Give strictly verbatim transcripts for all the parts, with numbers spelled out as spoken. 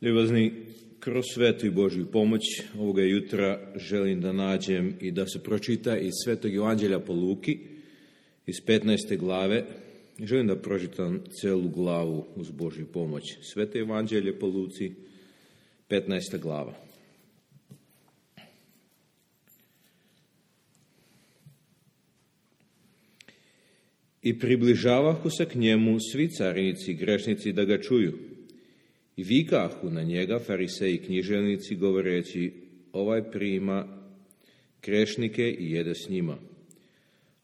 Ljubazni, kroz svetu i Božju pomoć ovoga jutra želim da nađem i da se pročita iz Svetog Evanđelja po Luki, iz petnaeste glave. Želim da pročitam celu glavu uz Božju pomoć. Sveto Evanđelje po Luci, petnaesta glava. I približavahu se k njemu svi carinici i grešnici da ga čuju. I vikahu na njega fariseji i književnici govoreći, ovaj prima grešnike i jede s njima.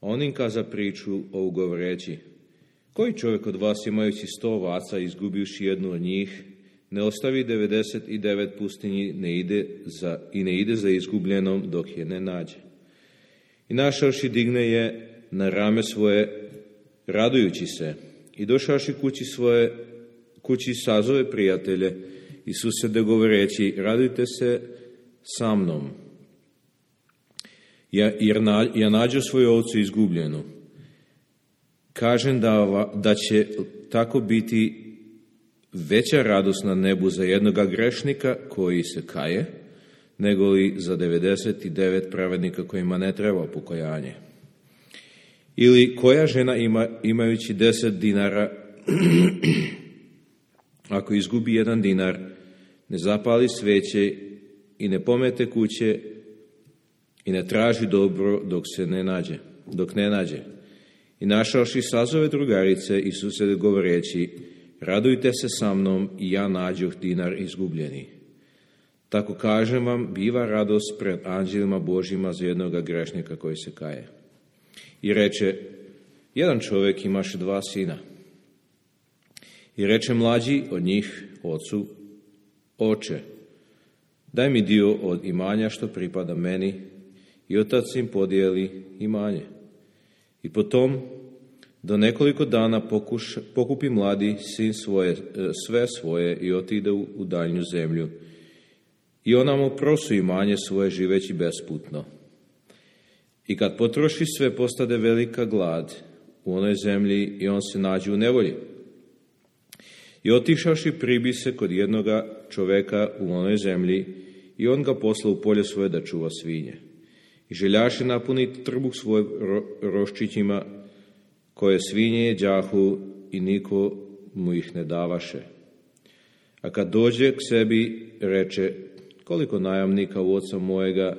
On im kaza priču ovu govoreći, koji čovjek od vas imajući sto ovaca izgubivši jednu od njih, ne ostavi devedeset i devet pustinji ne ide za, i ne ide za izgubljenom dok je ne nađe. I našavši digne je na rame svoje, radujući se, i došavši kući svoje, kući sazove prijatelje i susede govoreći, radujte se sa mnom, jer na, ja nađu svoju ovcu izgubljenu. Kažem da, da će tako biti veća radost na nebu za jednoga grešnika koji se kaje, nego li za devedeset i devet pravednika kojima ne treba pokajanje. Ili koja žena ima, imajući deset dinara, ako izgubi jedan dinar, ne zapali sveće i ne pomete kuće i ne traži dobro dok se ne nađe, dok ne nađe. I našavši sazove drugarice i susede govoreći, radujte se sa mnom i ja nađoh dinar izgubljeni. Tako kažem vam, biva radost pred anđelima Božjima za jednoga grešnika koji se kaje. I reče, jedan čovjek imaše dva sina. I reče mlađi od njih ocu, oče, daj mi dio od imanja što pripada meni, i otac im podijeli imanje. I potom do nekoliko dana pokuš, pokupi mladi sin svoje, sve svoje i otide u, u daljnju zemlju. I ona mu prosu imanje svoje živeći besputno. I kad potroši sve, postade velika glad u onoj zemlji i on se nađe u nevolji. I otišavši pribi se kod jednoga čoveka u onoj zemlji i on ga posla u polje svoje da čuva svinje. I željaše napuniti trbuh svoj ro, roščićima koje svinje jeđahu i niko mu ih ne davaše. A kad dođe k sebi, reče, koliko najamnika u oca mojega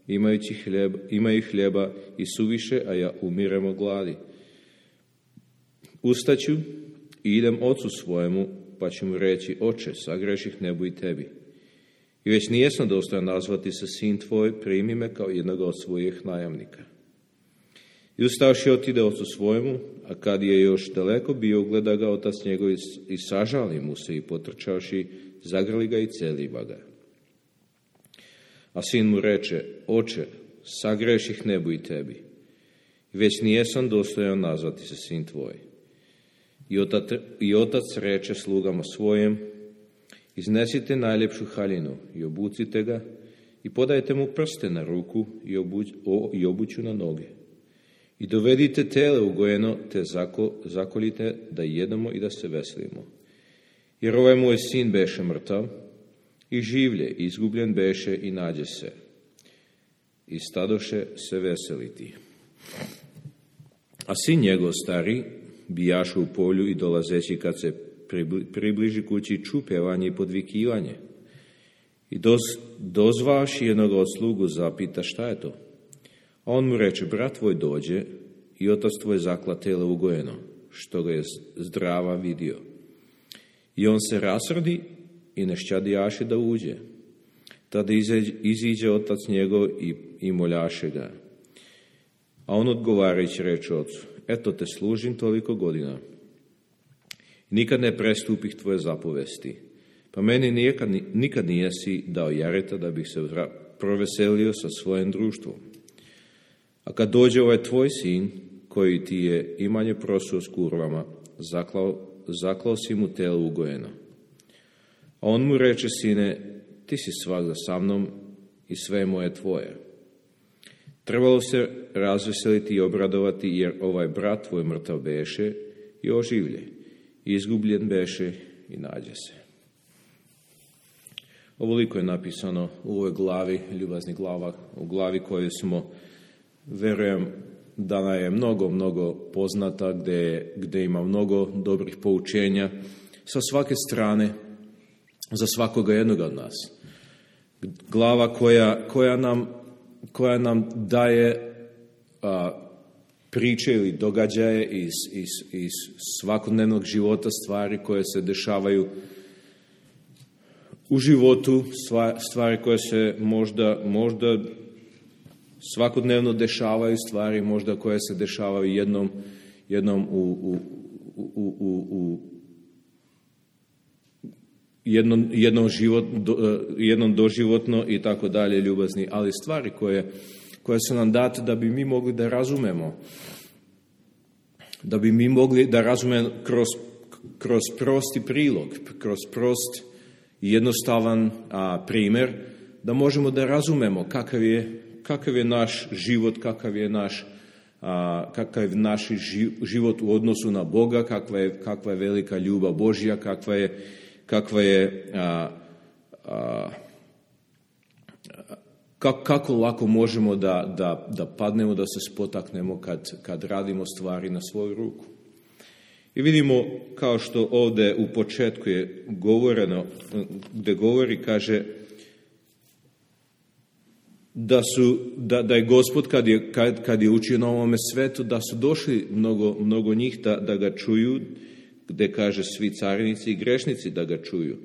imajući hljeba, imaju hljeba i suviše, a ja umirem od gladi. Ustaću i idem ocu svojemu, pa ću mu reći, oče, sagreših nebu i tebi. I već nijesam dostojan nazvati se sin tvoj, primi me kao jednoga od svojih najamnika. I ustavši otide ocu svojemu, a kad je još daleko bio, gleda ga otac njegov i sažali mu se i potrčavši, zagrli ga i celiva ga. A sin mu reče, oče, sagreših nebu i tebi. I već nijesam dostojan nazvati se sin tvoj. I otac, I otac reče slugama svojim, iznesite najljepšu haljinu i obucite ga i podajte mu prste na ruku i, obuć, o, i obuću na noge. I dovedite tele ugojeno, te zako, zakolite da jedemo i da se veselimo. Jer ovaj moj sin beše mrtav i življe, izgubljen beše i nađe se. I stadoše se veseliti. A sin njegov stari bijaše u polju i dolazeći kad se približi kući ču pjevanje i podvikivanje. I doz, dozvaši jednog od slugu zapita šta je to. A on mu reče, brat tvoj dođe i otac tvoj zakla tele ugojeno, što ga je zdrava vidio. I on se rasrdi i nešćadijaše da uđe. Tada iziđe otac njegov i, i moljaše ga. A on odgovarajući reče ocu, eto te služim toliko godina. Nikad ne prestupih tvoje zapovesti, pa meni nikad, nikad nijesi dao jareta da bih se proveselio sa svojim društvom. A kad dođe ovaj tvoj sin, koji ti je imanje prosuo s kurvama, zaklao, zaklao si mu telo ugojeno. A on mu reče, sine, ti si svagda sa mnom i sve moje tvoje. Trebalo se razveseliti i obradovati, jer ovaj brat tvoj mrtav beše i oživlje, izgubljen beše i nađe se. Ovoliko je napisano u ovoj glavi, ljubazni glava, u glavi koju smo, verujem, da nam je mnogo, mnogo poznata, gdje, gdje ima mnogo dobrih poučenja sa svake strane, za svakoga jednog od nas. Glava koja, koja, nam, koja nam daje a, priče ili događaje iz, iz, iz svakodnevnog života, stvari koje se dešavaju u životu, stvari koje se možda, možda svakodnevno dešavaju, stvari možda koje se dešavaju jednom, jednom u, u, u, u, u jednom, jednom, život, do, jednom doživotno i tako dalje, ljubazni, ali stvari koje, koje su nam date da bi mi mogli da razumemo, da bi mi mogli da razumemo kroz, kroz prosti prilog, kroz prost i jednostavan a, primjer, da možemo da razumemo kakav je, kakav je naš život, kakav je naš, a, kakav je naš život u odnosu na Boga, kakva je, kakva je velika ljubav Božja, kakva je, kakva je a, a, kako lako možemo da, da, da padnemo, da se spotaknemo kad, kad radimo stvari na svoju ruku. I vidimo, kao što ovdje u početku je govoreno, gdje govori, kaže da, su, da, da je Gospod kad je, kad, kad je učio na ovome svetu, da su došli mnogo, mnogo njih da, da ga čuju, gdje kaže svi carinici i grešnici da ga čuju.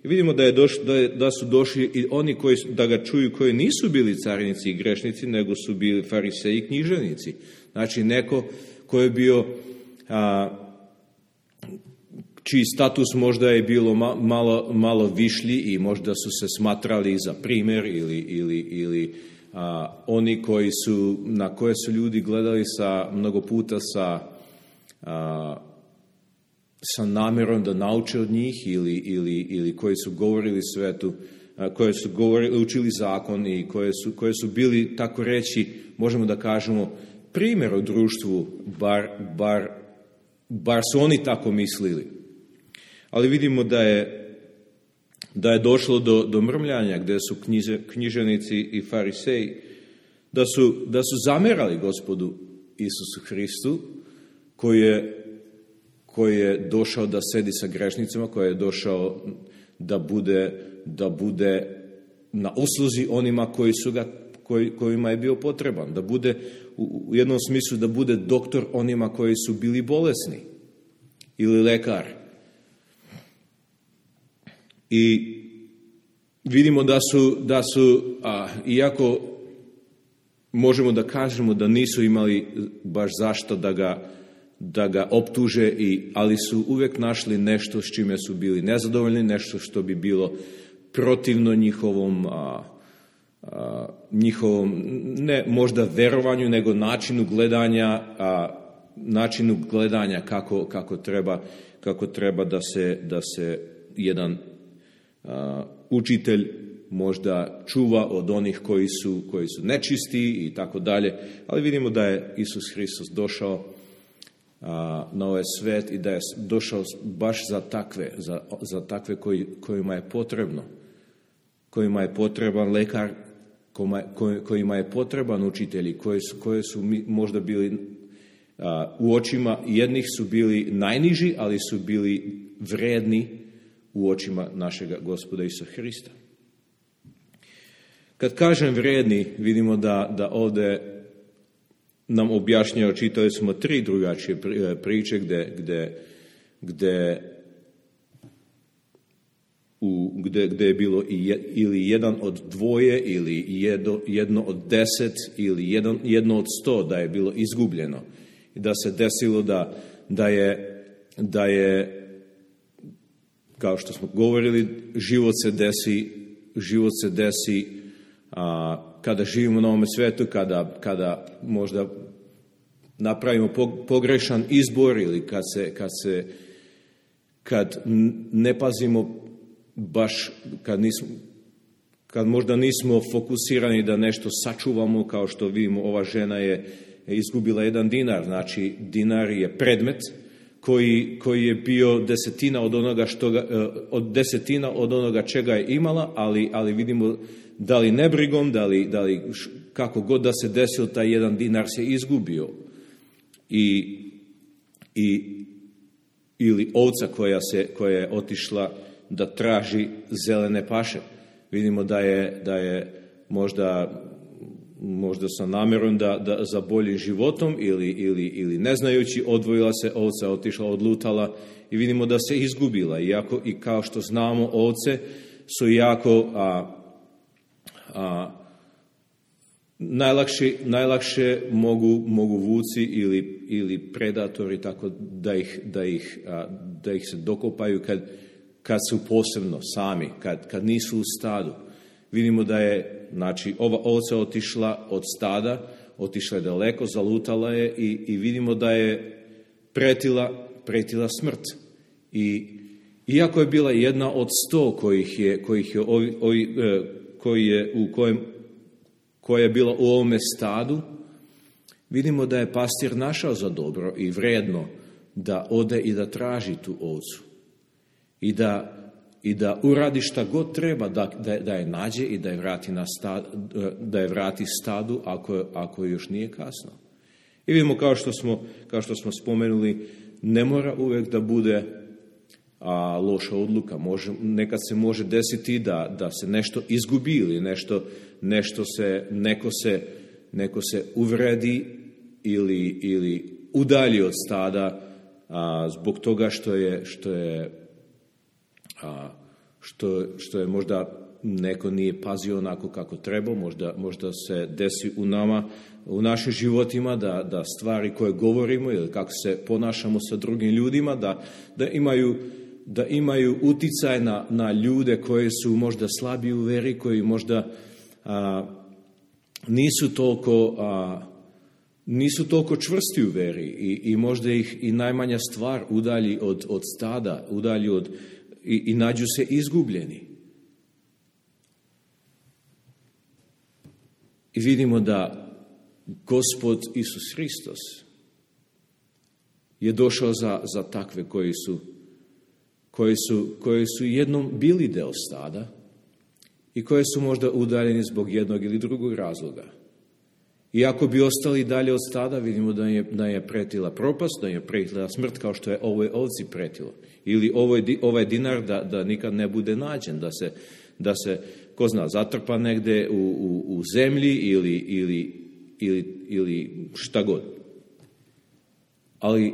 I vidimo da, je doš, da, je, da su došli i oni koji da ga čuju, koji nisu bili carinici i grešnici, nego su bili fariseji i književnici. Znači neko koji je bio, a, čiji status možda je bilo ma, malo, malo višlji i možda su se smatrali za primjer ili, ili, ili a, oni koji su, na koje su ljudi gledali sa, mnogo puta sa a, sa namjerom da nauče od njih ili, ili, ili koji su govorili svetu, koji su govorili, učili zakon i koje su, koje su bili, tako reći, možemo da kažemo, primjer u društvu, bar, bar, bar su oni tako mislili. Ali vidimo da je, da je došlo do, do mrmljanja gdje su knjiže, književnici i fariseji, da su, da su zamerali Gospodu Isusu Hristu, koji je koji je došao da sedi sa grešnicima, koji je došao da bude, da bude na usluzi onima koji su ga, koji, kojima je bio potreban, da bude u jednom smislu da bude doktor onima koji su bili bolesni ili lekar. I vidimo da su, da su a, iako možemo da kažemo da nisu imali baš zašto da ga da ga optuže, i, ali su uvijek našli nešto s čime su bili nezadovoljni, nešto što bi bilo protivno njihovom, a, a, njihovom ne možda verovanju, nego načinu gledanja, a, načinu gledanja kako, kako, treba, kako treba da se, da se jedan a, učitelj možda čuva od onih koji su, koji su nečisti i tako dalje. Ali vidimo da je Isus Hristos došao na ovaj svet i da je došao baš za takve, za, za takve koji, kojima je potrebno, kojima je potreban lekar, kojima, kojima je potreban učitelji, koji su, koji su možda bili a, u očima jednih su bili najniži, ali su bili vredni u očima našega Gospoda Isusa Hrista. Kad kažem vredni, vidimo da, da ovdje nam objašnjava, čitali smo tri drugačije priče gdje, gdje, gdje, u, gdje, gdje je bilo ili jedan od dvoje, ili jedno, jedno od deset, ili jedan, jedno od sto da je bilo izgubljeno. I da se desilo da, da, je, da je, kao što smo govorili, život se desi, život se desi a, kada živimo na ovome svetu, kada, kada možda napravimo pogrešan izbor ili kad se, kad se kad ne pazimo baš, kad, nismo, kad možda nismo fokusirani da nešto sačuvamo, kao što vidimo, ova žena je izgubila jedan dinar, znači dinar je predmet koji, koji je bio desetina od onoga, što ga, od desetina od onoga čega je imala, ali, ali vidimo da li nebrigom, da li, da li kako god da se desilo, taj jedan dinar se izgubio. I, i, ili ovca koja, se, koja je otišla da traži zelene paše. Vidimo da je, da je možda, možda sa namjerom da, da za boljim životom ili, ili, ili ne znajući odvojila se ovca, otišla, odlutala i vidimo da se izgubila. Iako, i kao što znamo, ovce su jako a, a, najlakše, najlakše mogu, mogu vuci ili, ili predatori tako da ih, da ih, a, da ih se dokopaju kad, kad su posebno sami, kad, kad nisu u stadu. Vidimo da je, znači, ova ovca otišla od stada, otišla je daleko, zalutala je i, i vidimo da je pretila, pretila smrt. I iako je bila jedna od sto kojih je, kojih je, ovi, ovi, koji je, u kojem, koja je bila u ovome stadu, vidimo da je pastir našao za dobro i vrijedno da ode i da traži tu ovcu. I da, i da uradi šta god treba da, da, da je nađe i da je vrati, na stad, da je vrati stadu ako, ako još nije kasno. I vidimo, kao što smo, kao što smo spomenuli, ne mora uvijek da bude a, loša odluka. Može, nekad se može desiti da, da se nešto izgubi ili nešto, nešto se, neko, se, neko se uvredi ili, ili udalji od stada a, zbog toga što je, što je A što, što je možda neko nije pazio onako kako treba, možda, možda se desi u nama, u našim životima, da, da stvari koje govorimo ili kako se ponašamo sa drugim ljudima, da, da imaju, da imaju uticaj na, na ljude koji su možda slabi u veri, koji možda a, nisu toliko, a, nisu toliko čvrsti u veri i, i možda ih i najmanja stvar udalji od, od stada, udalji od I, i nađu se izgubljeni. I vidimo da Gospod Isus Hristos je došao za, za takve koji su, koji su, koji su jednom bili deo stada i koji su možda udaljeni zbog jednog ili drugog razloga. I ako bi ostali dalje od stada, vidimo da je, da je pretila propast, da je pretila smrt, kao što je ovoj ovci pretilo. Ili ovoj, ovaj dinar da, da nikad ne bude nađen, da se, da se ko zna, zatrpa negde u, u, u zemlji ili, ili, ili, ili šta god. Ali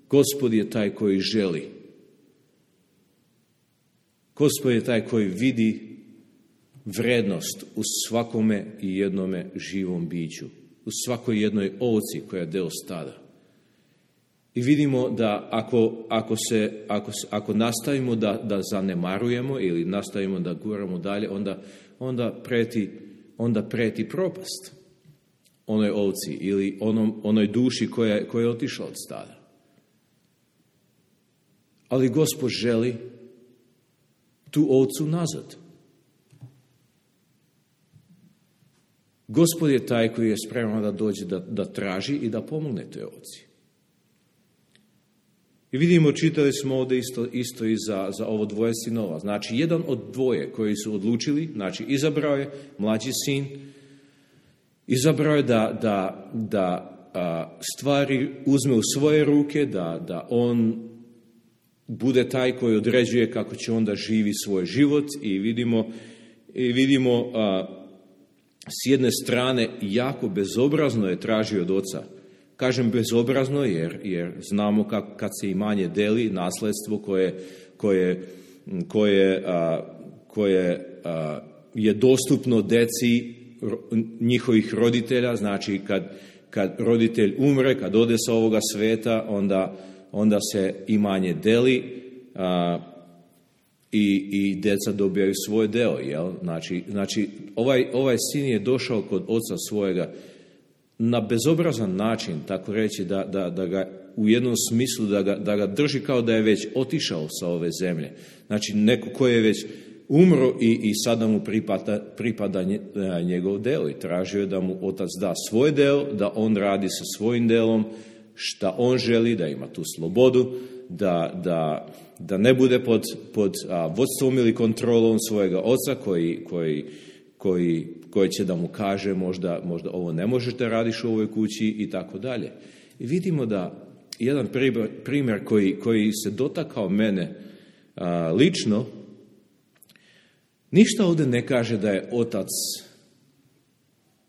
Gospod je taj koji želi. Gospod je taj koji vidi vrednost u svakome i jednome živom biću, u svakoj jednoj ovci koja je deo stada. I vidimo da ako, ako, se, ako, ako nastavimo da, da zanemarujemo ili nastavimo da guramo dalje, onda, onda, preti, onda preti propast onoj ovci ili onom, onoj duši koja, koja je otišla od stada. Ali Gospod želi tu ovcu nazad. Gospod je taj koji je spreman da dođe da, da traži i da pomogne toj ovci. I vidimo, čitali smo ovdje isto, isto i za, za ovo dvoje sinova. Znači, jedan od dvoje koji su odlučili, znači izabrao je mlađi sin, izabrao je da, da, da a, stvari uzme u svoje ruke, da, da on bude taj koji određuje kako će onda živi svoj život i vidimo, i vidimo a, s jedne strane jako bezobrazno je tražio od oca. Kažem bezobrazno jer, jer znamo kak, kad se imanje deli, nasledstvo koje, koje, koje, a, koje a, je dostupno deci njihovih roditelja, znači kad, kad roditelj umre, kad ode sa ovoga sveta, onda, onda se imanje deli a, i, i djeca dobijaju svoj deo. Jel? Znači, znači ovaj, ovaj sin je došao kod oca svojega na bezobrazan način, tako reći, da, da, da ga u jednom smislu da ga, da ga drži kao da je već otišao sa ove zemlje. Znači neko koji je već umro i, i sada mu pripada, pripada njegov deo i tražio je da mu otac da svoj deo, da on radi sa svojim delom šta on želi, da ima tu slobodu, da, da, da ne bude pod, pod a, vodstvom ili kontrolom svojega oca koji, koji, koji, koji će da mu kaže možda, možda ovo ne možete radiš u ovoj kući i tako dalje. I vidimo da jedan primjer koji, koji se dotakao mene a, lično, ništa ovdje ne kaže da je otac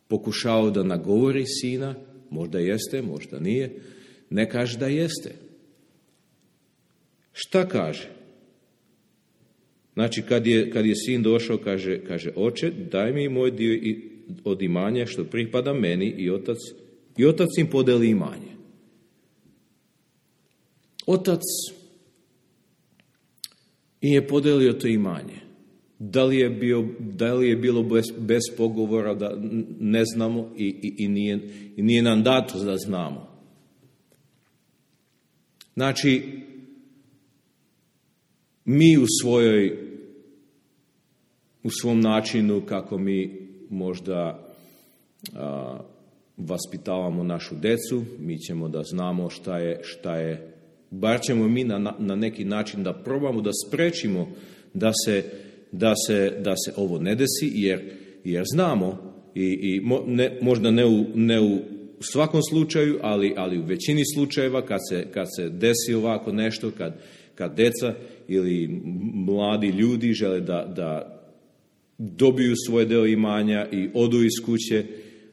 pokušao da nagovori sina, možda jeste, možda nije, ne kaže da jeste. Šta kaže? Znači, kad je, kad je sin došao, kaže, kaže, oče, daj mi moj dio od imanja što pripada meni i otac, i otac im podeli imanje. Otac im je podelio to imanje. Da li je, bio, da li je bilo bez, bez pogovora, da ne znamo i, i, i, nije, i nije nam dato da znamo. Znači, mi u svojoj, u svom načinu kako mi možda a, vaspitavamo našu decu, mi ćemo da znamo šta je, šta je, bar ćemo mi na, na neki način da probamo da sprečimo da se, da se, da se ovo ne desi, jer, jer znamo i, i mo, ne, možda ne u, ne u svakom slučaju, ali, ali u većini slučajeva kad se, kad se desi ovako nešto, kad, kad deca ili mladi ljudi žele da, da dobiju svoj deo imanja i odu iz kuće,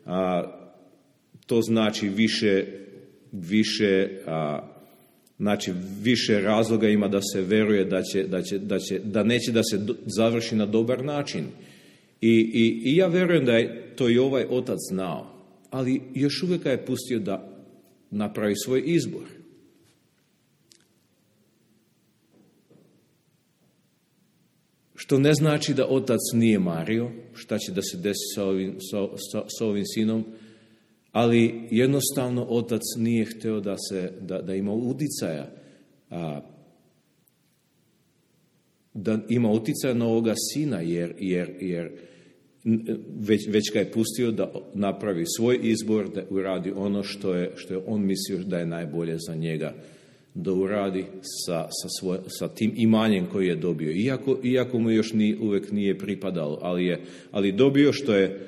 a, to znači više, više, a, znači više razloga ima da se veruje da, će, da, će, da, će, da neće da se do, završi na dobar način. I, i, I ja verujem da je to i ovaj otac znao, ali još uvijek je pustio da napravi svoj izbor. Što ne znači da otac nije mario, šta će da se desi sa ovim, sa, sa, sa ovim sinom, ali jednostavno otac nije htio da, se, da, da ima uticaja, a, da ima uticaja na ovoga sina, jer, jer, jer već, već ga je pustio da napravi svoj izbor, da uradi ono što je, što je on mislio da je najbolje za njega, da uradi sa, sa, svoj, sa tim imanjem koji je dobio. Iako, iako mu još ni, uvijek nije pripadalo, ali je ali dobio što je,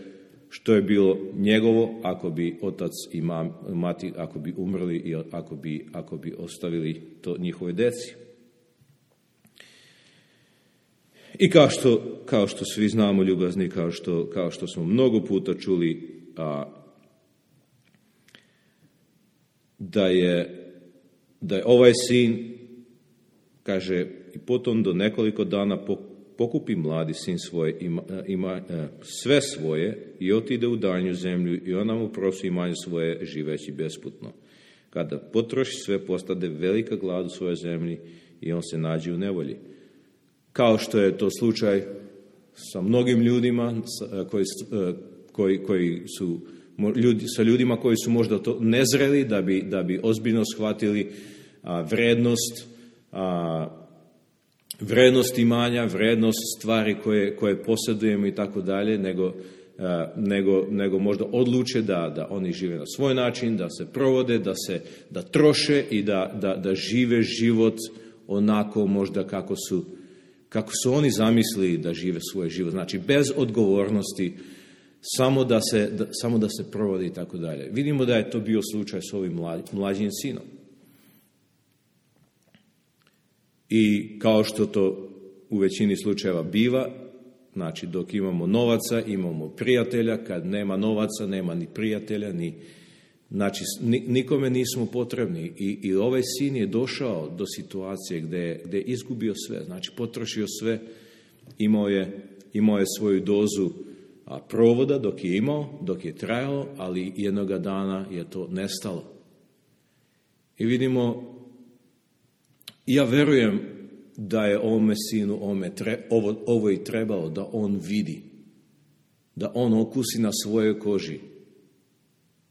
što je bilo njegovo ako bi otac i mam, mati ako bi umrli i ako bi, ako bi ostavili to njihove deci. I kao što, kao što svi znamo, ljubazni, kao što, kao što smo mnogo puta čuli, a, da je da je ovaj sin, kaže, i potom do nekoliko dana pokupi mladi sin svoje, ima, ima, sve svoje i otide u daljnju zemlju i ona mu prosi imanje svoje živeći besputno. Kada potroši sve, postade velika glad u svojoj zemlji i on se nađe u nevolji. Kao što je to slučaj sa mnogim ljudima koji, koji, koji su ljudi, sa ljudima koji su možda to nezreli da bi, da bi ozbiljno shvatili a, vrednost, a, vrednost imanja, vrednost stvari koje, koje posjedujemo i tako dalje, nego, a, nego, nego možda odluče da, da oni žive na svoj način, da se provode, da se da troše i da, da, da žive život onako možda kako su, kako su oni zamislili da žive svoj život. Znači bez odgovornosti, Samo da, se, da, samo da se provodi i tako dalje. Vidimo da je to bio slučaj s ovim mlađim, mlađim sinom. I kao što to u većini slučajeva biva, znači dok imamo novaca, imamo prijatelja, kad nema novaca, nema ni prijatelja, ni, znači nikome nismo potrebni. I, i ovaj sin je došao do situacije gdje, gdje je izgubio sve, znači potrošio sve, imao je, imao je svoju dozu a provoda dok je imao, dok je trajalo, ali jednoga dana je to nestalo. I vidimo, ja verujem da je ovome sinu ovome tre, ovo, ovo i trebalo, da on vidi, da on okusi na svojoj koži.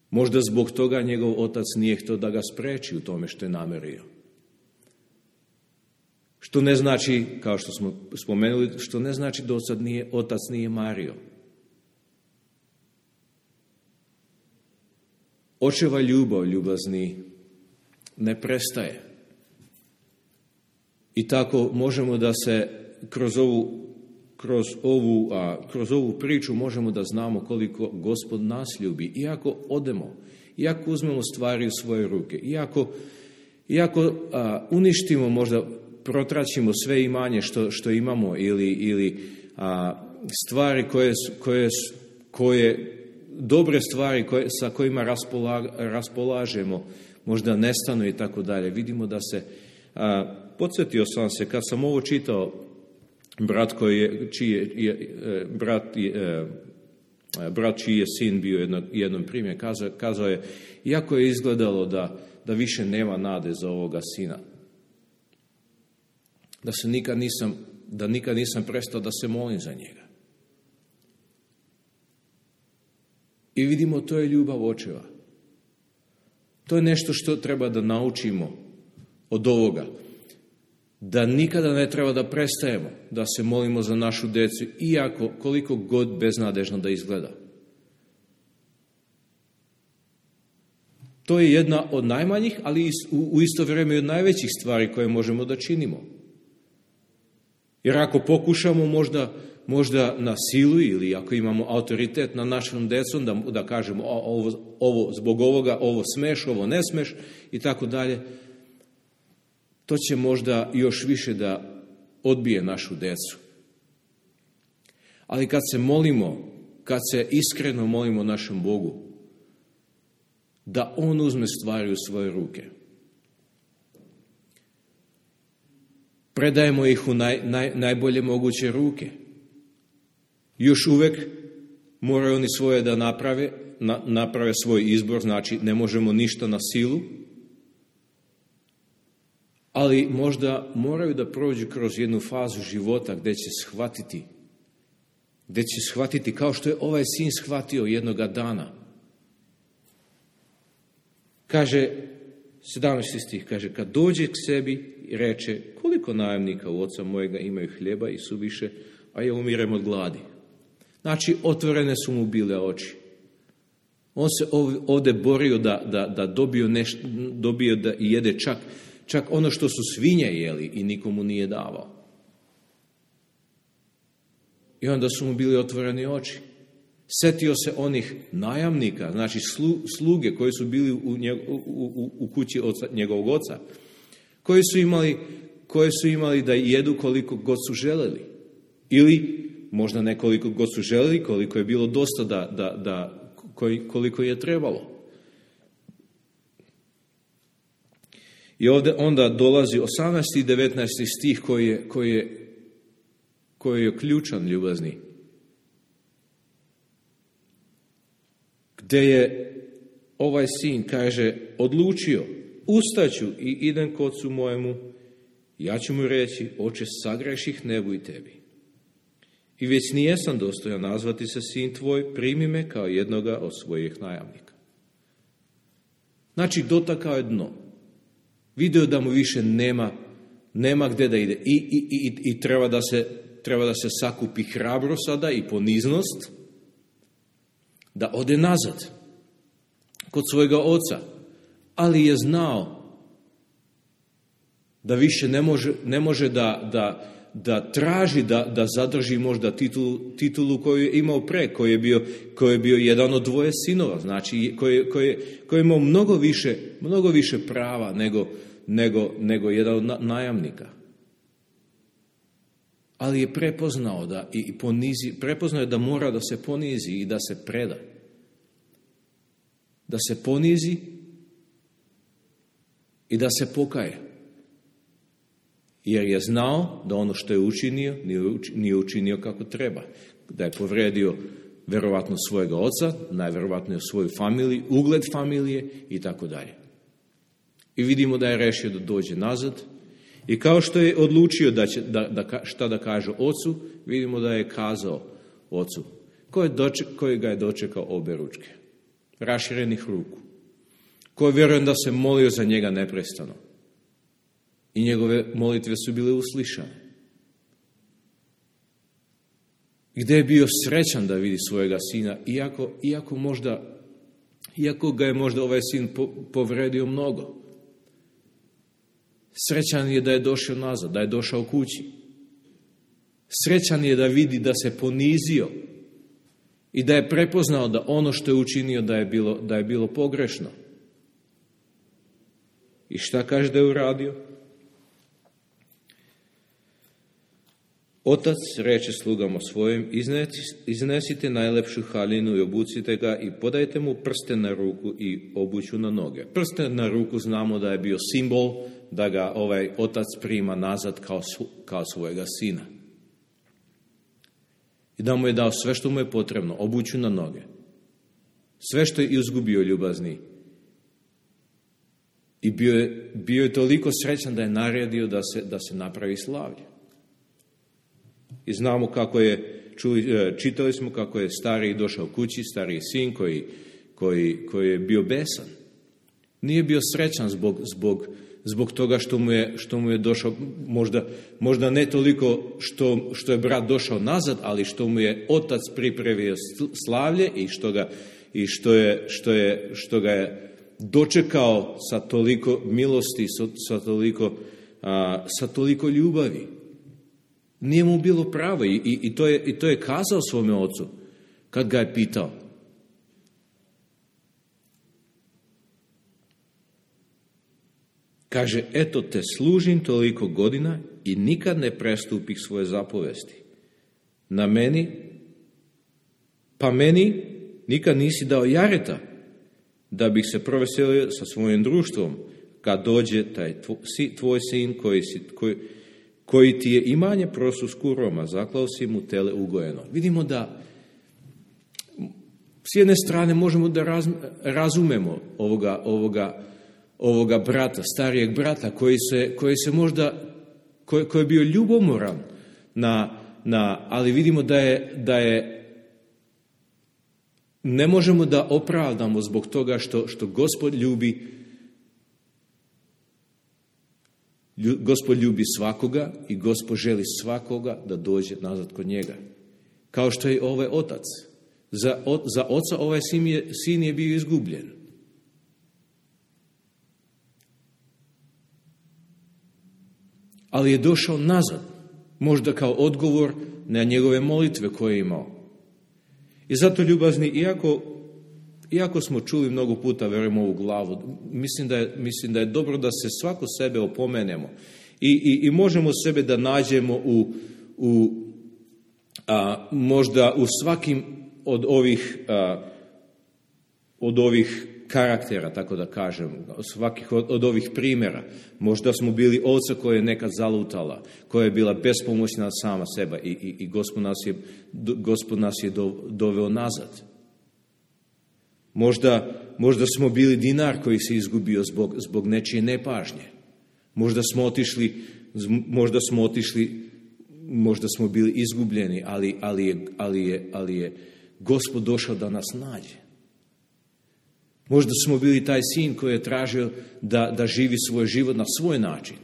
Možda zbog toga njegov otac nije htio da ga spreči u tome što je namerio. Što ne znači, kao što smo spomenuli, što ne znači da otac nije, otac nije mario. Očeva ljubav, ljubazni, ne prestaje. I tako možemo da se kroz ovu, kroz ovu, a, kroz ovu priču možemo da znamo koliko Gospod nas ljubi. Iako odemo, iako uzmemo stvari u svoje ruke, iako, iako a, uništimo, možda protraćimo sve imanje što, što imamo ili, ili a, stvari koje, koje, koje dobre stvari koje, sa kojima raspola, raspolažemo, možda nestanu i tako dalje. Vidimo da se, a, podsjetio sam se, kad sam ovo čitao, brat koji je, čiji je, je, brat, je, brat čiji je sin bio jedno, jednom primjer, kazao, kazao je, iako je izgledalo da, da više nema nade za ovoga sina, da se nikad nisam, da nikad nisam prestao da se molim za njega. I vidimo, to je ljubav očeva. To je nešto što treba da naučimo od ovoga. Da nikada ne treba da prestajemo da se molimo za našu decu, iako koliko god beznadežno da izgleda. To je jedna od najmanjih, ali u isto vrijeme i od najvećih stvari koje možemo da činimo. Jer ako pokušamo možda, možda na silu ili ako imamo autoritet na našom decom, da, da kažemo ovo, ovo, zbog ovoga, ovo smeš, ovo ne smeš i tako dalje, to će možda još više da odbije našu decu. Ali kad se molimo, kad se iskreno molimo našem Bogu, da On uzme stvari u svoje ruke, predajemo ih u naj, naj, najbolje moguće ruke. Još uvek moraju oni svoje da naprave, na, naprave svoj izbor, znači ne možemo ništa na silu, ali možda moraju da prođu kroz jednu fazu života gdje će shvatiti, gdje će shvatiti kao što je ovaj sin shvatio jednoga dana. Kaže, sedamnaesti stih, kaže, kad dođe k sebi i reče, koliko najamnika u oca mojega imaju hljeba i suviše, a ja umirem od gladi. Znači, otvorene su mu bile oči. On se ovdje borio da, da, da dobio, neš, dobio da jede čak, čak ono što su svinje jeli i nikomu nije davao. I onda su mu bili otvoreni oči. Setio se onih najamnika, znači slu, sluge koji su bili u, njeg, u, u, u kući oca, njegovog oca, koji su, imali, koji su imali da jedu koliko god su želeli. Ili možda ne koliko god su želeli, koliko je bilo dosta da, da, da koliko je trebalo. I ovdje onda dolazi osamnaesti i devetnaesti stih koji je, koji je, koji je ključan, ljubazni. Gdje je ovaj sin, kaže, odlučio, ustaću i idem k ocu mojemu, ja ću mu reći, oče, sagreših nebu i tebi. I već nijesam dostojan nazvati se sin tvoj, primi me kao jednoga od svojih najamnika. Znači, dotakao je dno. Video da mu više nema, nema gdje da ide. I, i, i, i treba, da se, treba da se sakupi hrabro sada i poniznost, da ode nazad kod svojega oca. Ali je znao da više ne može, ne može da, da, da traži da, da zadrži možda titulu, titulu koju je imao pre, koji je bio, koji je bio jedan od dvoje sinova, znači koji, koji, koji je imao mnogo više, mnogo više prava nego, nego, nego jedan od najamnika. Ali je prepoznao da i ponizi, prepoznao je da mora da se ponizi i da se preda. Da se ponizi i da se pokaje. Jer je znao da ono što je učinio, nije učinio kako treba. Da je povredio verovatno svojega oca, najverovatnije svoju familiju, ugled familije i tako dalje. I vidimo da je rešio da dođe nazad. I kao što je odlučio da će, da, da, šta da kaže ocu, vidimo da je kazao ocu, koji, doček, koji ga je dočekao obe ručke, raširenih ruku, koji vjerujem da se molio za njega neprestano. I njegove molitve su bile uslišane. Gdje je bio srećan da vidi svojega sina, iako, iako, možda, iako ga je možda ovaj sin po, povredio mnogo. Srećan je da je došao nazad, da je došao kući. Srećan je da vidi da se ponizio i da je prepoznao da ono što je učinio da je bilo, da je bilo pogrešno. I šta kaže da je uradio? Otac reče slugama svojim, iznesite najlepšu haljinu i obucite ga i podajte mu prsten na ruku i obuću na noge. Prsten na ruku znamo da je bio simbol da ga ovaj otac prima nazad kao, kao svojega sina. I da mu je dao sve što mu je potrebno, obuću na noge. Sve što je izgubio ljubazni. I bio je, bio je toliko srećan da je naredio da se, da se napravi slavlje. I znamo kako je, čuli, čitali smo kako je stariji došao kući, stariji sin koji, koji, koji je bio besan. Nije bio srećan zbog, zbog, zbog toga što mu je, što mu je došao, možda, možda ne toliko što, što je brat došao nazad, ali što mu je otac pripremio slavlje i što ga, i što je, što je, što ga je dočekao sa toliko milosti, sa, sa, toliko, a, sa toliko ljubavi. Nije mu bilo pravo i, i, i, to je, i to je kazao svome ocu kad ga je pitao. Kaže, eto te služim toliko godina i nikad ne prestupih svoje zapovesti. Na meni, pa meni nikad nisi dao jareta da bih se proveselio sa svojim društvom kad dođe taj tvoj sin koji si... Koji, koji ti je imanje prosu s kuroma, zaklao si mu tele ugojeno. Vidimo da s jedne strane možemo da raz, razumemo ovoga, ovoga, ovoga brata, starijeg brata, koji se, koji se možda, koji, koji je bio ljubomoran, na, na, ali vidimo da je, da je, ne možemo da opravdamo zbog toga što, što Gospod ljubi Gospod ljubi svakoga i Gospod želi svakoga da dođe nazad kod njega. Kao što je ovaj otac. Za, o, za oca ovaj sin je, sin je bio izgubljen. Ali je došao nazad. Možda kao odgovor na njegove molitve koje je imao. I zato, ljubazni, iako Iako smo čuli mnogo puta, verujem, ovu glavu, mislim da je, mislim da je dobro da se svako sebe opomenemo i, i, i možemo sebe da nađemo u, u a, možda u svakim od ovih, a, od ovih karaktera, tako da kažem, svakih od, od ovih primjera. Možda smo bili ovca koja je nekad zalutala, koja je bila bespomoćna sama seba i, i, i Gospod nas je, Gospod nas je do, doveo nazad. Možda, možda smo bili dinar koji se izgubio zbog, zbog nečije nepažnje. Možda smo otišli, možda smo otišli, možda smo bili izgubljeni, ali, ali, je, ali, je, ali je Gospod došao da nas nađe. Možda smo bili taj sin koji je tražio da, da živi svoj život na svoj način.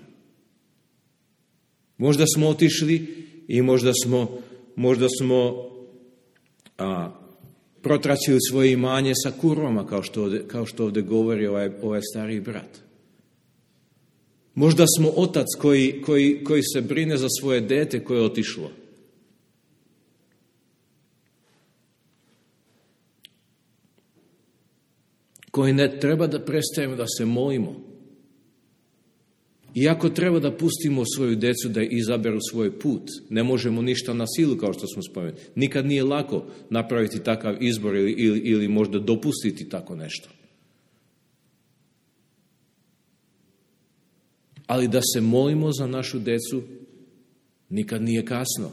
Možda smo otišli i možda smo, možda smo a, protraćili svoje imanje sa kurvama, kao što ovdje, kao što ovdje govori ovaj, ovaj stariji brat. Možda smo otac koji, koji, koji se brine za svoje dete koje je otišlo. Koji ne treba da prestajemo da se molimo. Iako treba da pustimo svoju decu da izaberu svoj put, ne možemo ništa na silu, kao što smo spomenuli. Nikad nije lako napraviti takav izbor ili, ili, ili možda dopustiti tako nešto. Ali da se molimo za našu decu nikad nije kasno.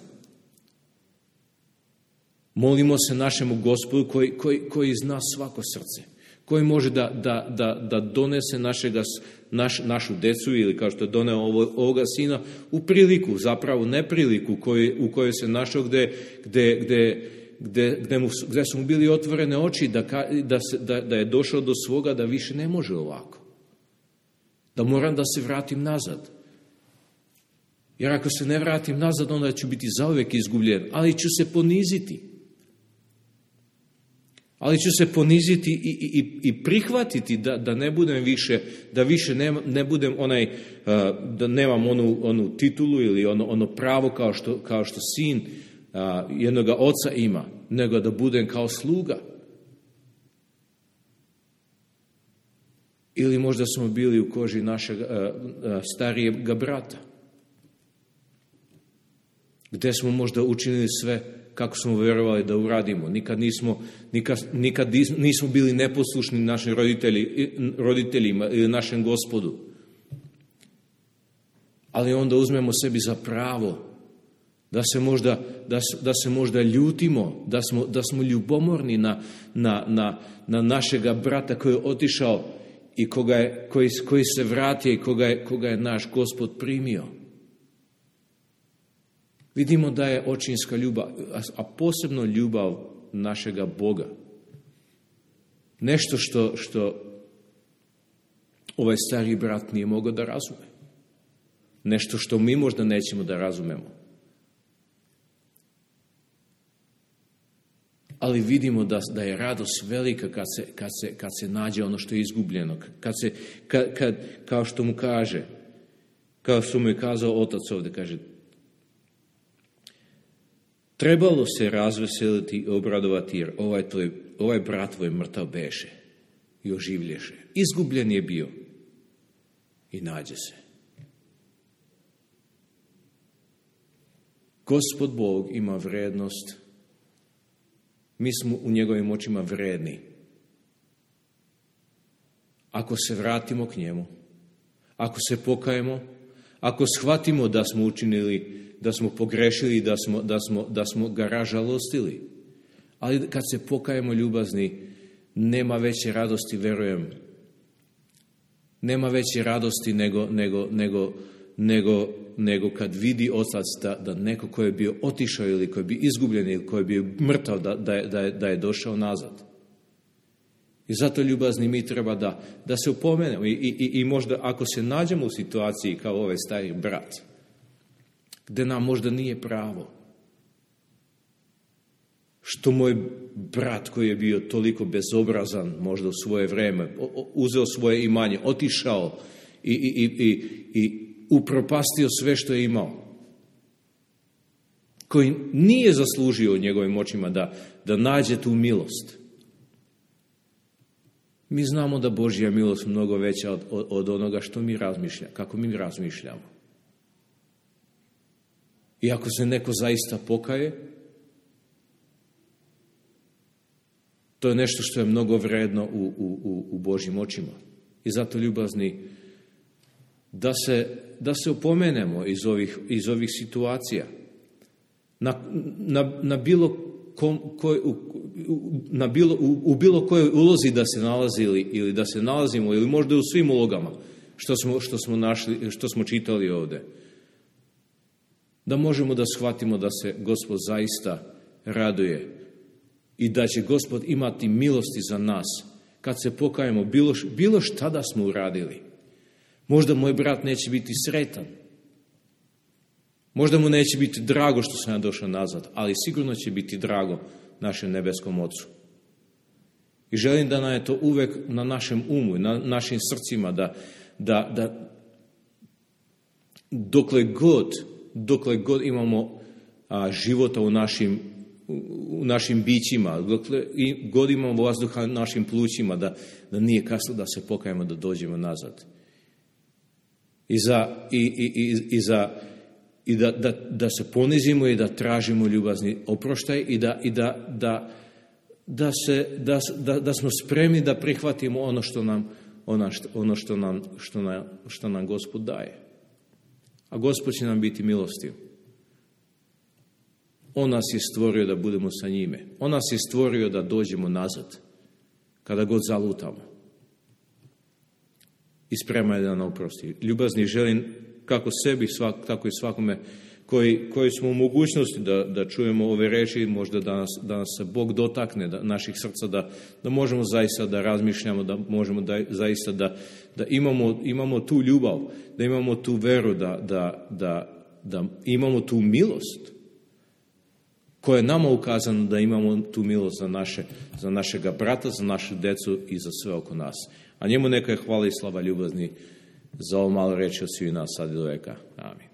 Molimo se našemu Gospodu koji, koji, koji zna svako srce. Koji može da, da, da, da donese našega, naš, našu decu ili kao što je doneo ovo, ovoga sina u priliku, zapravo nepriliku koji, u kojoj se našao gde, gde, gde, gde, gde, mu, gde su mu bili otvorene oči da, da, se, da, da je došao do svoga da više ne može ovako. Da moram da se vratim nazad. Jer ako se ne vratim nazad, onda ću biti zauvek izgubljen, ali ću se poniziti. Ali ću se poniziti i, i, i prihvatiti da, da ne budem više, da više ne, ne budem onaj, da nemam onu, onu titulu ili ono, ono pravo kao što, kao što sin jednog oca ima, nego da budem kao sluga. Ili možda smo bili u koži našeg starijeg brata, gdje smo možda učinili sve kako smo vjerovali da uradimo. Nikad nismo, nikad, nikad nismo bili neposlušni našim roditelji, roditeljima ili našem Gospodu. Ali onda uzmemo sebi za pravo da se možda, da, da se možda ljutimo, da smo, da smo ljubomorni na, na, na, na našega brata koji je otišao i koga je, koji, koji se vratio i koga je, koga je naš Gospod primio. Vidimo da je očinska ljubav, a posebno ljubav našega Boga. Nešto što, što ovaj stari brat nije mogao da razume. Nešto što mi možda nećemo da razumemo. Ali vidimo da, da je radost velika kad se, kad, se, kad se nađe ono što je izgubljeno. Kad se, kad, kad, kao što mu kaže, kao što mu je kazao otac ovdje, kaže, trebalo se razveseliti i obradovati jer ovaj, tvoj, ovaj brat tvoj mrtav beše i oživlješe. Izgubljen je bio i nađe se. Gospod Bog ima vrednost. Mi smo u njegovim očima vredni. Ako se vratimo k njemu, ako se pokajemo, ako shvatimo da smo učinili, da smo pogrešili, da smo, da smo, da smo ga ražalostili. Ali kad se pokajemo ljubazni, nema veće radosti, verujem. Nema veće radosti nego, nego, nego, nego, nego kad vidi otac da, da neko ko je bio otišao ili ko je bio izgubljen ili ko je bio mrtav, da, da, je, da, je, da je došao nazad. I zato ljubazni mi treba da, da se upomenemo. I, i, I možda ako se nađemo u situaciji kao ovaj stari brat, gdje nam možda nije pravo, što moj brat koji je bio toliko bezobrazan možda u svoje vrijeme, uzeo svoje imanje, otišao i, i, i, i upropastio sve što je imao, koji nije zaslužio u njegovim očima da, da nađe tu milost. Mi znamo da Božja milost je mnogo veća od, od, od onoga što mi razmišljamo, kako mi razmišljamo. I ako se neko zaista pokaje, to je nešto što je mnogo vredno u, u, u Božjim očima. I zato ljubazni, da se, da se opomenemo iz ovih, iz ovih situacija. Na, na, na bilo kom, koj, u, na bilo, u, u bilo kojoj ulozi da se nalazili ili da se nalazimo ili možda u svim ulogama što smo, što smo, našli, što smo čitali ovdje. Da možemo da shvatimo da se Gospod zaista raduje i da će Gospod imati milosti za nas kad se pokajemo bilo, bilo šta da smo uradili. Možda moj brat neće biti sretan. Možda mu neće biti drago što sam ja došao nazad, ali sigurno će biti drago našem nebeskom Ocu. I želim da nam je to uvek na našem umu, na našim srcima, da, da, da dokle god, dokle god imamo a, života u našim, u našim bićima, dokle god imamo vazduha u našim plućima, da, da nije kasno da se pokajemo, da dođemo nazad. I, za, i, i, i, i, za, i da, da, da se ponizimo i da tražimo ljubazni oproštaj i da, i da, da, da, se, da, da, da smo spremni da prihvatimo ono što nam, ono što, ono što nam, što nam, što nam Gospod daje. A Gospod će nam biti milostiv. On nas je stvorio da budemo sa njime. On nas je stvorio da dođemo nazad kada god zalutamo. I spreman je da nam oprosti. Ljubazni želim kako sebi, svak, tako i svakome koji, koji smo u mogućnosti da, da čujemo ove reči, možda da nas, da nas se Bog dotakne, da, naših srca, da, da možemo zaista da razmišljamo, da možemo da, zaista da, da imamo, imamo tu ljubav, da imamo tu veru, da, da, da, da imamo tu milost koje je nama ukazano da imamo tu milost za, naše, za našega brata, za našu decu i za sve oko nas. A njemu neka je hvala i slava ljubazni za ovo malo reći od svih nas sad i do veka. Amin.